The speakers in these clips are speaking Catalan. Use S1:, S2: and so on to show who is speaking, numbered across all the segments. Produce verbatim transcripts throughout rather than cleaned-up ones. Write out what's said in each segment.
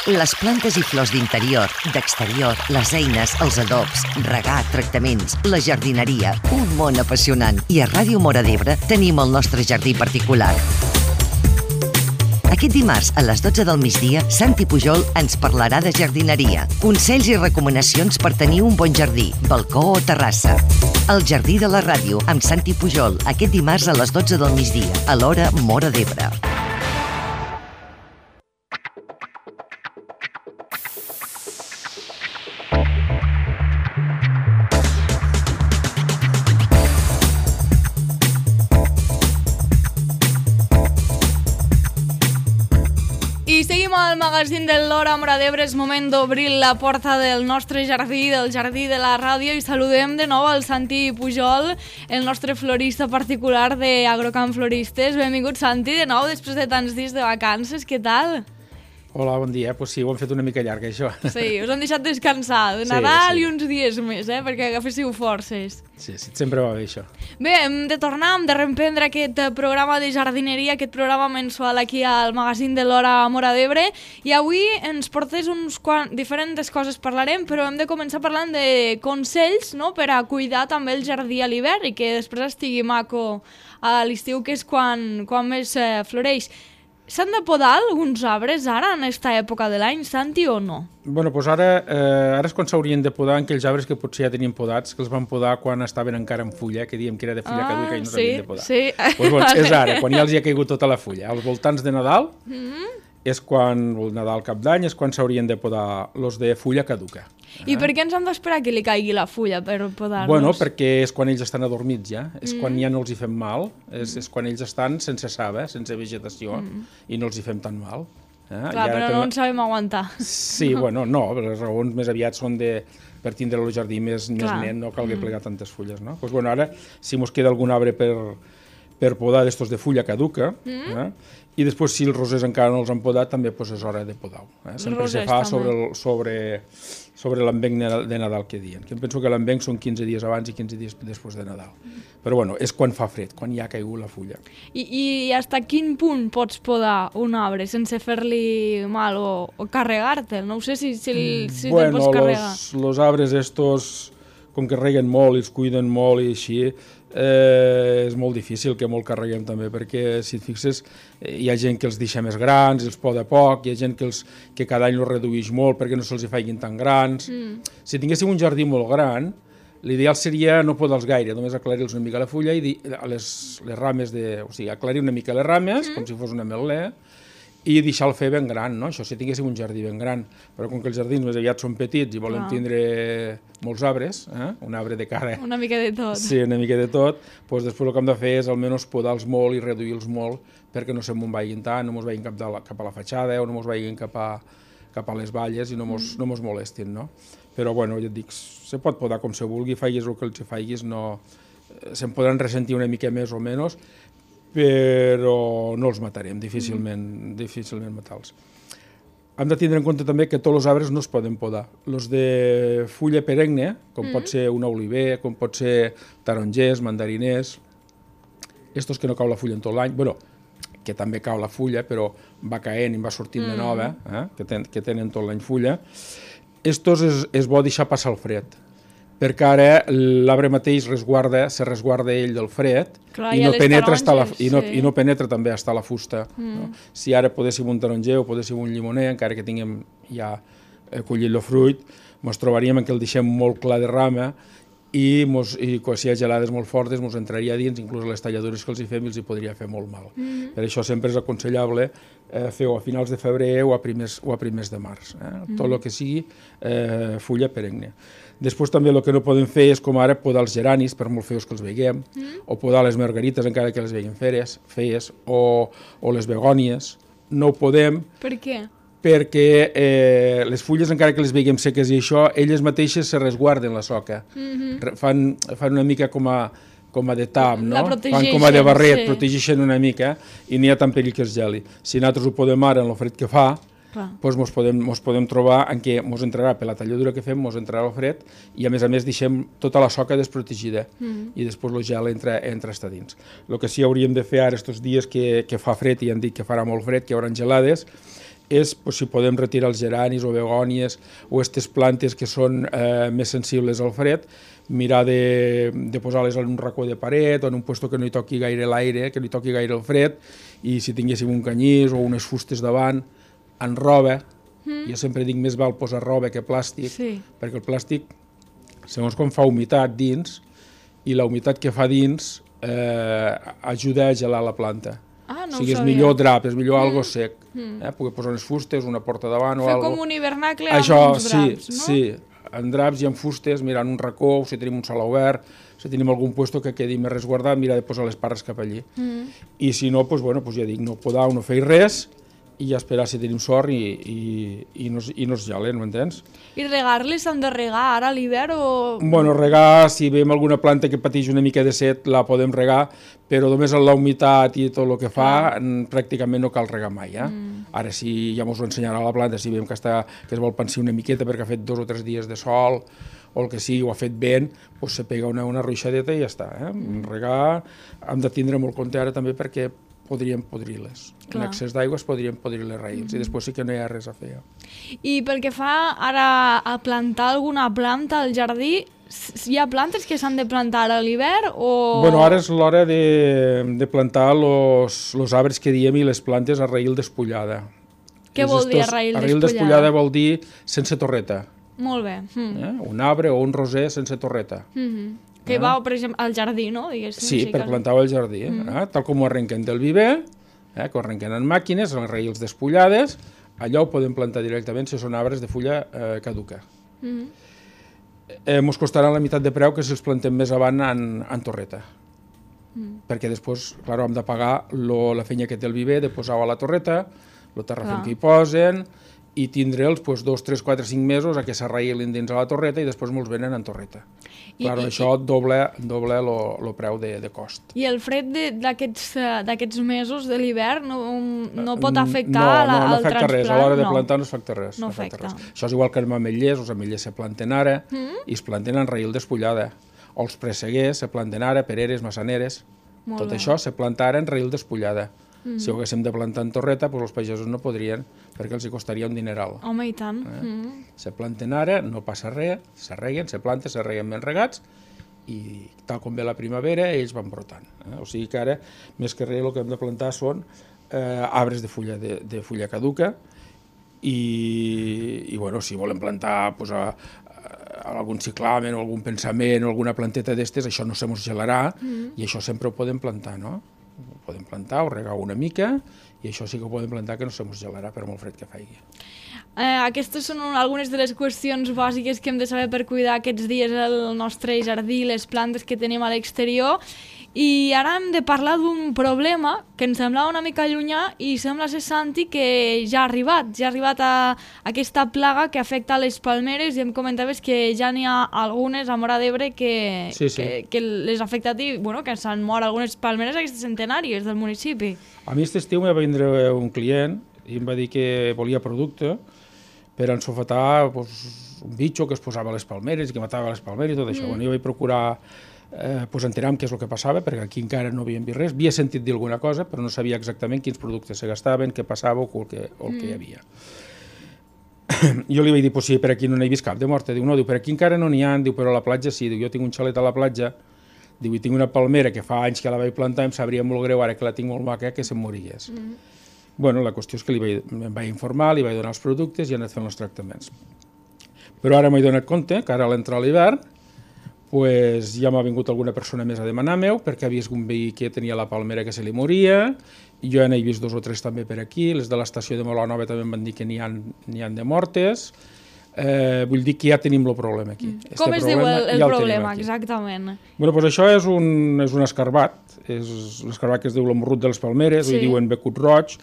S1: Les plantes i flors d'interior, d'exterior, les eines, els adobs, regar, tractaments, la jardineria, un món apassionant. I a Ràdio Móra d'Ebre tenim el nostre jardí particular. Aquest dimarts, a les dotze del migdia, Santi Pujol ens parlarà de jardineria, consells i recomanacions per tenir un bon jardí, balcó o terrassa. El Jardí de la Ràdio, amb Santi Pujol, aquest dimarts a les dotze del migdia, a l'hora Móra d'Ebre.
S2: I seguim al magazín de l'Hora Móra d'Ebre. És moment d'obrir la porta del nostre jardí, del jardí de la ràdio, i saludem de nou al Santi Pujol, el nostre florista particular d'Agrocamp Floristes. Benvingut, Santi, de nou, després de tants dies de vacances. Què tal?
S3: Hola, bon dia. Pues sí, ho hem fet una mica llarg, això.
S2: Sí, us han deixat descansar de Nadal sí, sí. I uns dies més, eh, perquè agaféssiu forces.
S3: Sí, sí, sempre va bé, això.
S2: Bé, hem de tornar, hem de reemprendre aquest programa de jardineria, aquest programa mensual aquí al magazín de l'Hora Móra d'Ebre, i avui ens portes uns quants diferents coses parlarem, però hem de començar parlant de consells, no?, per a cuidar també el jardí a l'hivern i que després estigui maco a l'estiu, que és quan, quan més eh, floreix. S'han de podar alguns arbres ara, en aquesta època de l'any, Santi, o no?
S3: Bueno, doncs ara, eh, ara és quan s'haurien de podar aquells arbres que potser ja tenien podats, que els van podar quan estaven encara en fulla, que diem que era de fulla ah, caduca i no s'havien sí, de podar.
S2: Sí,
S3: sí. Doncs, bueno, és ara, quan ja els hi ha caigut tota la fulla. Als voltants de Nadal, mm-hmm. és quan, el Nadal cap d'any, és quan s'haurien de podar els de fulla caduca.
S2: I per què ens hem d'esperar que li caigui la fulla per podar-los?
S3: Bueno, perquè és quan ells estan adormits ja, és mm. quan ja no els hi fem mal, és, és quan ells estan sense saba, sense vegetació, mm. i no els hi fem tan mal. Eh?
S2: Clar, però no ens sabem aguantar.
S3: Sí, bueno, no, les raons més aviat són de per tindre el jardí més, més net, no calgui mm. plegar tantes fulles, no? Pues bueno, ara, si mos queda algun arbre per, per podar d'estos de fulla caduca, mm. eh? I després, si els rosers encara no els han podat, també pues, és hora de podar-ho. Eh? Sempre se fa sobre, el, sobre, sobre l'envenc de Nadal que diuen. Que em penso que l'envenc són quinze dies abans i quinze dies després de Nadal. Però bueno, és quan fa fred, quan ja ha caigut la fulla.
S2: I, i fins a quin punt pots podar un arbre sense fer-li mal o, o carregar-te'l? No ho sé si, si, si
S3: bueno,
S2: te'l pots carregar.
S3: Bueno, els arbres estos, com que reguen molt i els cuiden molt i així, Eh, és molt difícil que molt carreguem també, perquè si et fixes eh, hi ha gent que els deixa més grans, els poda poc, hi ha gent que, els, que cada any els redueix molt perquè no se'ls faiguin tan grans. Mm. Si tinguéssim un jardí molt gran, l'ideal seria no podar-los gaire, només aclarir-los una mica la fulla i dir, les, les rames de... O sigui, aclarir una mica les rames, mm. com si fos una ametler, i deixar-lo fer ben gran, no? Això si tinguéssim un jardí ben gran. Però com que els jardins més aviat són petits i volem ah. tindre molts arbres, eh? Un arbre de cara...
S2: Una mica de tot.
S3: Sí, una mica de tot. Doncs després el que hem de fer és almenys podar-los molt i reduir-los molt perquè no se'n vagin tant, no mos vagin cap, de la, cap a la fatxada o no mos vagin cap a, cap a les valles i no mos, mm. no mos molestin, no? Però, bueno, ja et dic, se pot podar com se vulgui, faiguis el que els faiguis, no... Se'n podran ressentir una mica més o menys, però no els matarem, difícilment, mm. difícilment matar-los. Hem de tindre en compte també que tots els arbres no es poden podar. Els de fulla perenne, com mm. pot ser un oliver, com pot ser tarongers, mandariners, estos que no cau la fulla en tot l'any, bueno, que també cau la fulla, però va caent i va sortint mm. de nova, eh? que, ten, que tenen tot l'any fulla, estos és, és bo deixar passar el fred, perquè ara l'arbre mateix resguarda, se resguarda ell del fred. Clar, i, no penetra la, i, no, sí. i no penetra també fins a la fusta. Mm. No? Si ara podéssim un taronger o podéssim un llimoner, encara que tinguem ja collit el fruit, ens trobaríem que el deixem molt clar de rama i, mos, i si hi ha gelades molt fortes ens entraria dins, inclús les talladures que els hi fem els hi podria fer molt mal. Mm. Per això sempre és aconsellable eh, fer-ho a finals de febrer o a primers, o a primers de març. Eh? Mm. Tot el que sigui eh, fulla perenne. Després també el que no podem fer és com ara podar els geranis, per molt feus que els veiem, mm. o podar les margarites encara que les veiem feres, feies, o, o les begònies. No ho podem.
S2: Per què?
S3: Perquè eh, les fulles, encara que les veiem seques i això, elles mateixes se resguarden la soca. Mm-hmm. Fan, fan una mica com a, com a de tam, no? Fan com a de barret, sí. Protegeixen una mica i n'hi ha tant perill que es geli. Si nosaltres ho podem ara en el fred que fa, doncs mos podem, mos podem trobar en què mos entrarà per la talladura que fem, mos entrarà el fred i a més a més deixem tota la soca desprotegida mm. i després el gel entra, entra està dins. El que sí hauríem de fer ara estos dies que, que fa fred i han dit que farà molt fred, que hi haurà gelades, és pues, si podem retirar els geranis o begònies o aquestes plantes que són eh, més sensibles al fred, mirar de, de posar-les en un racó de paret o en un lloc que no hi toqui gaire l'aire, que no hi toqui gaire el fred, i si tinguéssim un canyís o unes fustes davant, en roba, mm. jo sempre dic més val posar roba que plàstic, sí. perquè el plàstic, segons com fa humitat dins, i la humitat que fa dins eh, ajuda a gelar la planta.
S2: Ah, no
S3: o sigui, és millor drap, és millor mm. algo sec. Mm. Eh? Poder posar unes fustes, una porta davant o
S2: Fer
S3: algo.
S2: com un hivernacle
S3: Això,
S2: amb uns draps,
S3: sí,
S2: no?
S3: Sí, en draps i en fustes, mirant un racó, o si tenim un saló obert, si tenim algun lloc que quedi més resguardat, mirar de posar les parres cap allí. Mm. I si no, doncs, bueno, doncs ja dic, no podar, no fer res, i ja esperar si tenim sort i, i, i, no, i no es gelen, m'entens?
S2: I regar-les s'han de regar ara a l'hivern o...?
S3: Bueno, regar, si veiem alguna planta que pateix una mica de set, la podem regar, però només amb la humitat i tot el que fa, ah. pràcticament no cal regar mai. Eh? Mm. Ara, si ja mos ho ensenyarà la planta, si veiem que, està, que es vol pensar una miqueta perquè ha fet dos o tres dies de sol, o el que sigui, o ha fet vent, doncs se pega una, una ruixadeta i ja està. Eh? Mm. Regar, hem de tindre molt compte ara també perquè podríem podrir-les. En excés d'aigua es podrien podrir les raïls, mm. i després sí que no hi ha res a fer.
S2: I pel que fa ara a plantar alguna planta al jardí, hi ha plantes que s'han de plantar a l'hivern o...?
S3: Bueno, ara és l'hora de, de plantar els arbres que diem i les plantes a raïl despullada.
S2: Què vol dir a raïl despullada?
S3: Raïl despullada vol dir sense torreta.
S2: Molt bé. Mm.
S3: Eh? Un arbre o un roser sense torreta.
S2: Mm-hmm. Que va, per exemple, al jardí, no? Diguéssim,
S3: sí, per plantar-ho al jardí. Mm. Eh? Tal com ho arrenquen del viver, eh? que ho arrenquen en màquines, en raïls despullades, allò ho podem plantar directament si són arbres de fulla eh, caduca. Mm. Eh, mos costaran la meitat de preu que si els plantem més avant en, en torreta. Mm. Perquè després, clar, hem de pagar lo, la feina que té el viver, de posar-ho a la torreta, el terrafem que hi posen, i tindre'ls pues, dos, tres, quatre, cinc mesos a que s'arraïlin dins a la torreta i després me'ls venen en torreta. I, claro, i, això doble, doble el preu de, de cost.
S2: I el fred d'aquests mesos de l'hivern no, no pot afectar
S3: no,
S2: la,
S3: no, no
S2: el
S3: afecta
S2: transplant?
S3: Res, a l'hora de
S2: no.
S3: plantar no afecta res.
S2: No
S3: no afecta
S2: afecta.
S3: Res. Això és igual que els ametllers, els ametllers se planten ara mm? i es planten en raïl despullada. O els presseguers se planten ara, pereres, massaneres. Molt Tot bé. Això se planta ara en raïl despullada. Mm. Si ho haguéssim de plantar en torreta, doncs els pagesos no podrien, perquè els hi costaria un dineral.
S2: Home, i tant.
S3: Eh?
S2: Mm.
S3: Se planten ara, no passa res, se reguen, se planten, se reguen ben regats, i tal com ve la primavera, ells van brotant. Eh? O sigui que ara, més que res, el que hem de plantar són eh, arbres de fulla, de, de fulla caduca, i, i bueno, si volen plantar pues, a, a algun ciclamen o algun pensament o alguna planteta d'estes, això no se mos gelarà, mm. i això sempre ho podem plantar, no? Ho podem plantar o regar una mica i això sí que ho podem plantar que no se mos gelarà per molt fred que faci.
S2: Eh, aquestes són algunes de les qüestions bàsiques que hem de saber per cuidar aquests dies el nostre jardí, les plantes que tenim a l'exterior. I ara hem de parlar d'un problema que ens semblava una mica llunyà i sembla ser, Santi, que ja ha arribat. Ja ha arribat a aquesta plaga que afecta les palmeres i em comentaves que ja n'hi ha algunes a Móra d'Ebre que,
S3: sí, sí.
S2: que, que les ha afectat i bueno, que s'han mort algunes palmeres aquestes centenàries del municipi.
S3: A mi aquest estiu em va vindre un client i em va dir que volia producte per ensofetar pues, un bitxo que es posava a les palmeres i que matava les palmeres i tot això. Mm. Bueno, jo vaig procurar eh, pues, enterar què és el que passava, perquè aquí encara no havíem vist res. Havia sentit dir alguna cosa, però no sabia exactament quins productes se gastaven, què passava o el que, o el mm. que hi havia. Jo li vaig dir, pues, sí, per aquí no n'he vist cap de morta. Diu, no, diu, per aquí encara no n'hi ha, diu, però a la platja sí. Diu, jo tinc un xalet a la platja, diu, i tinc una palmera que fa anys que la vaig plantar i em sabria molt greu, ara que la tinc molt maca, que se'm morigués. Mm. Bueno, la qüestió és que li vaig, em vaig informar, li vaig donar els productes i he anat fent els tractaments. Però ara m'he donat compte que ara a l'entrar a l'hivern pues, ja m'ha vingut alguna persona més a demanar meu perquè havia vist un veí que tenia la palmera que se li moria i jo ja n'he vist dos o tres també per aquí, les de l'estació de Molanova també em van dir que n'hi ha, n'hi ha de mortes. Eh, vull dir que ja tenim el problema aquí. Mm.
S2: Com es diu el, el ja problema, el exactament?
S3: Bueno, pues això és un, és un escarbat, és un escarbat que es diu el morrut de les palmeres, sí. Ho diuen becut roig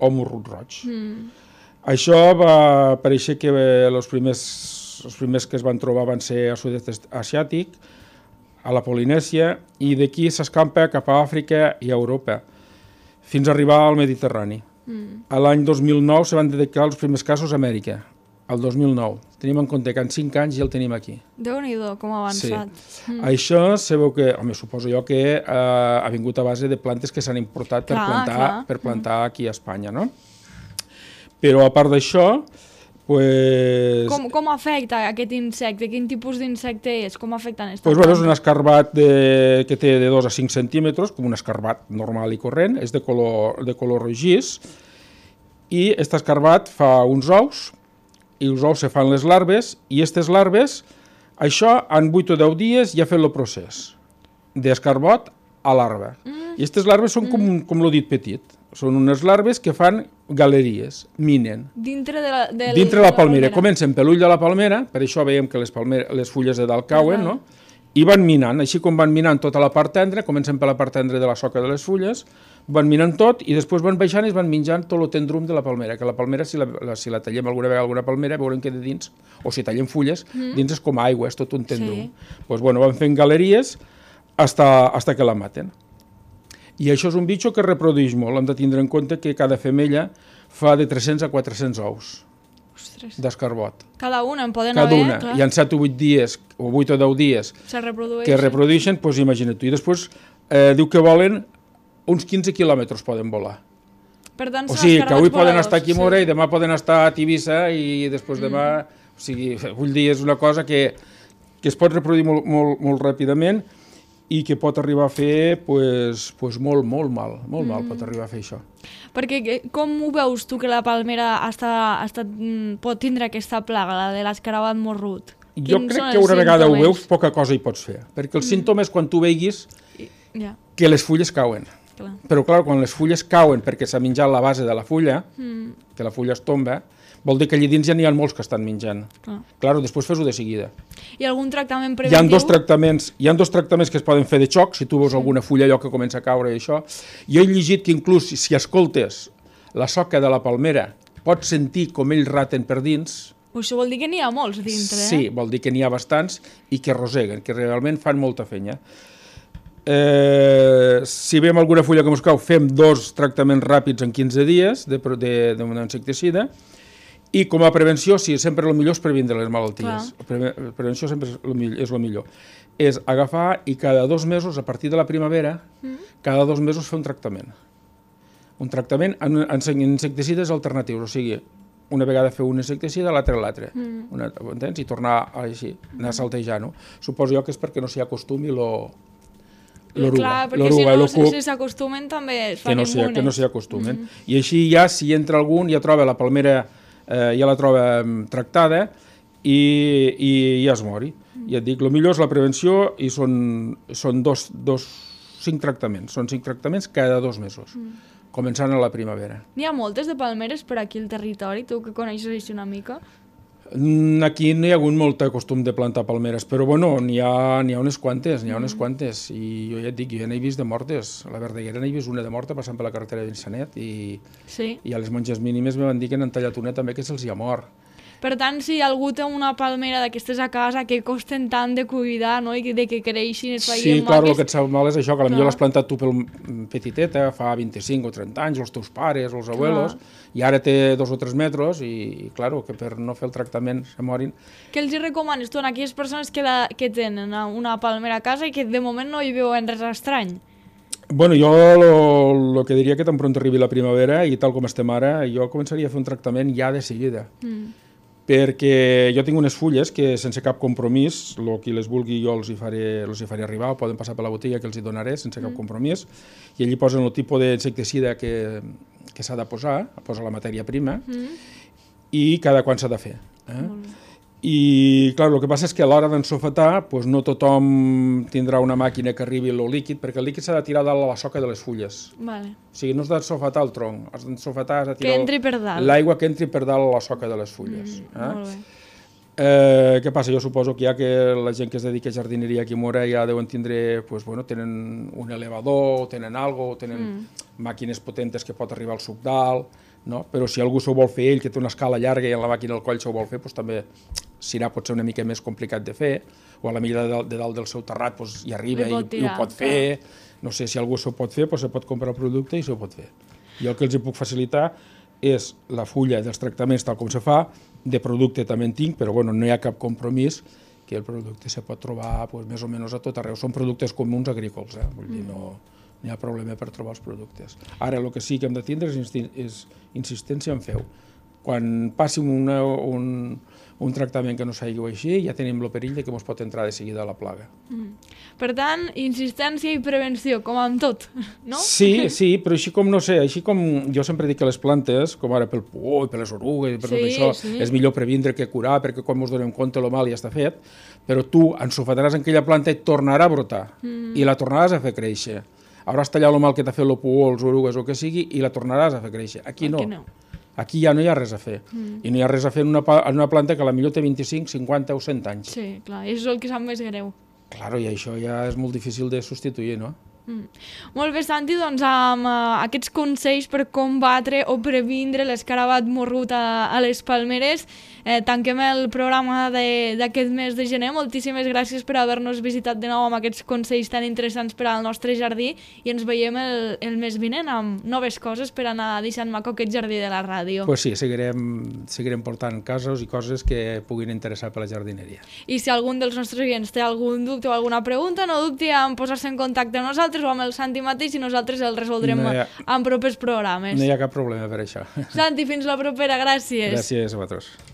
S3: o morrut roig. Mm. Això va aparèixer que els primers, els primers que es van trobar van ser al sud-est asiàtic, a la Polinèsia, i d'aquí s'escampa cap a Àfrica i a Europa, fins a arribar al Mediterrani. Mm. A l'any dos mil nou se van detectar els primers casos a Amèrica, el dos mil nou. Tenim en compte que en cinc anys ja el tenim aquí.
S2: Déu-n'hi-do, com ha avançat.
S3: Sí. Mm. Això se veu que, home, suposo jo que eh, ha vingut a base de plantes que s'han importat per
S2: clar,
S3: plantar,
S2: clar.
S3: per plantar mm. aquí a Espanya, no? Però a part d'això, pues...
S2: Com, com afecta aquest insecte? Quin tipus d'insecte és? Com afecten aquesta
S3: pues,
S2: planta?
S3: bueno, és un escarbat de, que té de dos a cinc centímetres, com un escarbat normal i corrent, és de color, de color rogís, i aquest escarbat fa uns ous, i els ous se fan les larves, i aquestes larves, això en vuit o deu dies ja ha fet el procés d'escarbot a larva. Mm. I aquestes larves són mm. com, com l'odit petit. Són unes larves que fan galeries, minen.
S2: Dintre de la, de
S3: Dintre de la palmera. Comencen per l'ull de la palmera, per això veiem que les, palmera, les fulles de dalt cauen, no? I van minant, així com van minant tota la part tendra, comencen per la part tendra de la soca de les fulles, van minant tot i després van baixant i es van menjant tot el tendrum de la palmera, que la palmera, si la, la, si la tallem alguna vegada alguna palmera, veurem que de dins, o si tallem fulles, mm. dins és com aigua, és tot un tendrum. Sí. Pues, bueno, van fent galeries hasta, hasta que la maten. I això és un bitxo que es reprodueix molt. Hem de tindre en compte que cada femella fa de tres-cents a quatre-cents ous d'escarbot.
S2: Cada una en poden
S3: cada
S2: haver,
S3: una.
S2: clar.
S3: Hi ha set o vuit dies, o vuit o deu dies,
S2: Se reprodueixen.
S3: que reprodueixen, doncs imagina't tu. I després eh, diu que volen uns quinze quilòmetres poden volar.
S2: Per tant,
S3: o sigui, que avui poden
S2: voladors,
S3: estar aquí a Mora
S2: sí.
S3: i demà poden estar a Tivissa i després mm. demà... O sigui, vull dir, és una cosa que, que es pot reproduir molt, molt, molt ràpidament i que pot arribar a fer pues, pues molt, molt mal, molt mm. mal pot arribar a fer això.
S2: Perquè com ho veus tu que la palmera està, està, pot tindre aquesta plaga, la de l'escarabat morrut?
S3: Jo
S2: Quins
S3: crec que una vegada ho veus, poca cosa hi pots fer, perquè els mm. símptomes quan tu veiguis
S2: yeah.
S3: que les fulles cauen.
S2: Clar.
S3: Però clar, quan les fulles cauen perquè s'ha menjat la base de la fulla, mm. que la fulla es tomba, vol dir que allà dins ja n'hi ha molts que estan menjant. Clar, claro, després fes-ho de seguida.
S2: I algun tractament
S3: Hi
S2: preventiu?
S3: ha dos tractaments, hi ha dos tractaments que es poden fer de xoc, si tu veus sí. alguna fulla allò que comença a caure i això. Jo he llegit que inclús si escoltes la soca de la palmera pots sentir com ells raten per dins.
S2: Això vol dir que n'hi ha molts dintre, eh?
S3: Sí, vol dir que n'hi ha bastants i que roseguen, que realment fan molta fenya. Eh, si veiem alguna fulla que mos cau, fem dos tractaments ràpids en quinze dies d'un insecticida. I com a prevenció, sí, sempre el millor és previndre les malalties. Pre prevenció sempre és el millor, és el millor. És agafar i cada dos mesos, a partir de la primavera, mm. cada dos mesos fer un tractament. Un tractament en, en insecticides alternatius, o sigui, una vegada fer un insecticida, l'altre l'altre. Mm. Entens? I tornar així, anar saltejant-ho. Suposo jo que és perquè no s'hi acostumi lo... l'oruga.
S2: Clar, perquè si no cuc, si s'acostumen també es fan
S3: que no
S2: immunes.
S3: Que no s'hi acostumen. Mm. I així ja, si entra algun, ja troba la palmera... Eh, ja la troba um, tractada i, i ja es mori. Mm. Ja et dic, el millor és la prevenció i són, són dos, dos, cinc tractaments. Són cinc tractaments cada dos mesos, mm. començant a la primavera.
S2: N'hi ha moltes de palmeres per aquí al territori, tu que coneixes així una mica?
S3: Aquí no hi ha hagut molt costum de plantar palmeres, però bueno, n'hi ha, n'hi ha unes quantes, n'hi ha unes quantes, i jo ja et dic, jo ja n'he vist de mortes. A la Verdaguera n'he vist una de morta passant per la carretera d'Insanet i, sí. i a les monges mínimes me van dir que n'han tallat una també que se'ls hi ha mort.
S2: Per tant, si algú té una palmera d'aquestes a casa que costen tant de cuidar, no? I de que creixin, es facin
S3: sí,
S2: maques...
S3: clar, el que et sap mal és això, que potser l'has plantat tu pel petiteta, fa vint-i-cinc o trenta anys, els teus pares, els abuelos, clar. I ara té dos o tres metres i, i clar, que per no fer el tractament se morin.
S2: Què els hi recomanes tu a aquelles persones que, la, que tenen una palmera a casa i que de moment no hi veuen res estrany?
S3: Bueno, jo el que diria que tan pront arribi la primavera i tal com estem ara, jo començaria a fer un tractament ja de seguida. Mm. Perquè jo tinc unes fulles que sense cap compromís, el qui les vulgui jo els hi faré, els hi faré arribar, o poden passar per la botiga que els hi donaré sense cap compromís, i allí posen el tipus d'insecticida que, que s'ha de posar, posa la matèria prima, mm. i cada quan s'ha de fer. Eh? I clar, el que passa és que a l'hora d'ensofetar pues, no tothom tindrà una màquina que arribi el líquid, perquè el líquid s'ha de tirar dalt a la soca de les fulles. Vale. O sigui, no has d'ensofetar el tronc, has d'ensofetar, has de tirar...
S2: Que entri per dalt.
S3: L'aigua que entri per dalt a la soca de les fulles. Mm, eh? Molt bé. Eh, què passa? Jo suposo que ja que la gent que es dedica a jardineria aquí a Mora ja deuen tindre, pues, bueno, tenen un elevador, tenen algo, tenen mm. màquines potentes que pot arribar al suc dalt, no? Però si algú s'ho vol fer ell, que té una escala llarga i en la màquina al coll s'ho vol fer, doncs també serà potser una mica més complicat de fer, o a la millor de, de dalt del seu terrat doncs, hi arriba i, i ho pot fer, no sé, si algú s'ho pot fer, doncs se pot comprar el producte i s'ho pot fer. Jo el que els hi puc facilitar és la fulla dels tractaments tal com se fa, de producte també en tinc, però bueno, no hi ha cap compromís, que el producte se pot trobar pues, més o menys a tot arreu. Són productes comuns agrícols, eh? Vull dir, no, no hi ha problema per trobar els productes. Ara, el que sí que hem de tindre és, és insistència en feu. quan passi una, un, un tractament que no s'hagi així, ja tenim el perill de que ens pot entrar de seguida la plaga.
S2: Mm. Per tant, insistència i prevenció, com amb tot, no?
S3: Sí, sí, però així com, no sé, així com jo sempre dic que les plantes, com ara pel por i per les orugues i per
S2: sí,
S3: tot això,
S2: sí.
S3: és millor previndre que curar, perquè quan ens donem compte el mal ja està fet, però tu ensofataràs en aquella planta i tornarà a brotar, mm. i la tornaràs a fer créixer. Hauràs tallat el mal que t'ha fet el por, els orugues o el que sigui, i la tornaràs a fer créixer. Aquí no.
S2: Aquí no.
S3: Aquí ja no hi ha res a fer. Mm. I no hi ha res a fer en una, en una planta que potser té vint-i-cinc, cinquanta o cent anys.
S2: Sí, clar, i això és el que sap més greu.
S3: Claro, i això ja és molt difícil de substituir, no?
S2: Mm. Molt bé, Santi, doncs amb uh, aquests consells per combatre o previndre l'escarabat morrut a, a les palmeres, eh, tanquem el programa d'aquest mes de gener. Moltíssimes gràcies per haver-nos visitat de nou amb aquests consells tan interessants per al nostre jardí i ens veiem el, el mes vinent amb noves coses per anar deixant maco aquest jardí de la ràdio.
S3: Pues sí, seguirem, seguirem portant casos i coses que puguin interessar per la jardineria.
S2: I si algun dels nostres oients té algun dubte o alguna pregunta, no dubti en posar-se en contacte amb nosaltres o amb el Santi mateix i nosaltres el resoldrem no ha, en propers programes.
S3: No hi ha cap problema per això.
S2: Santi, fins la propera, gràcies.
S3: Gràcies a vosaltres.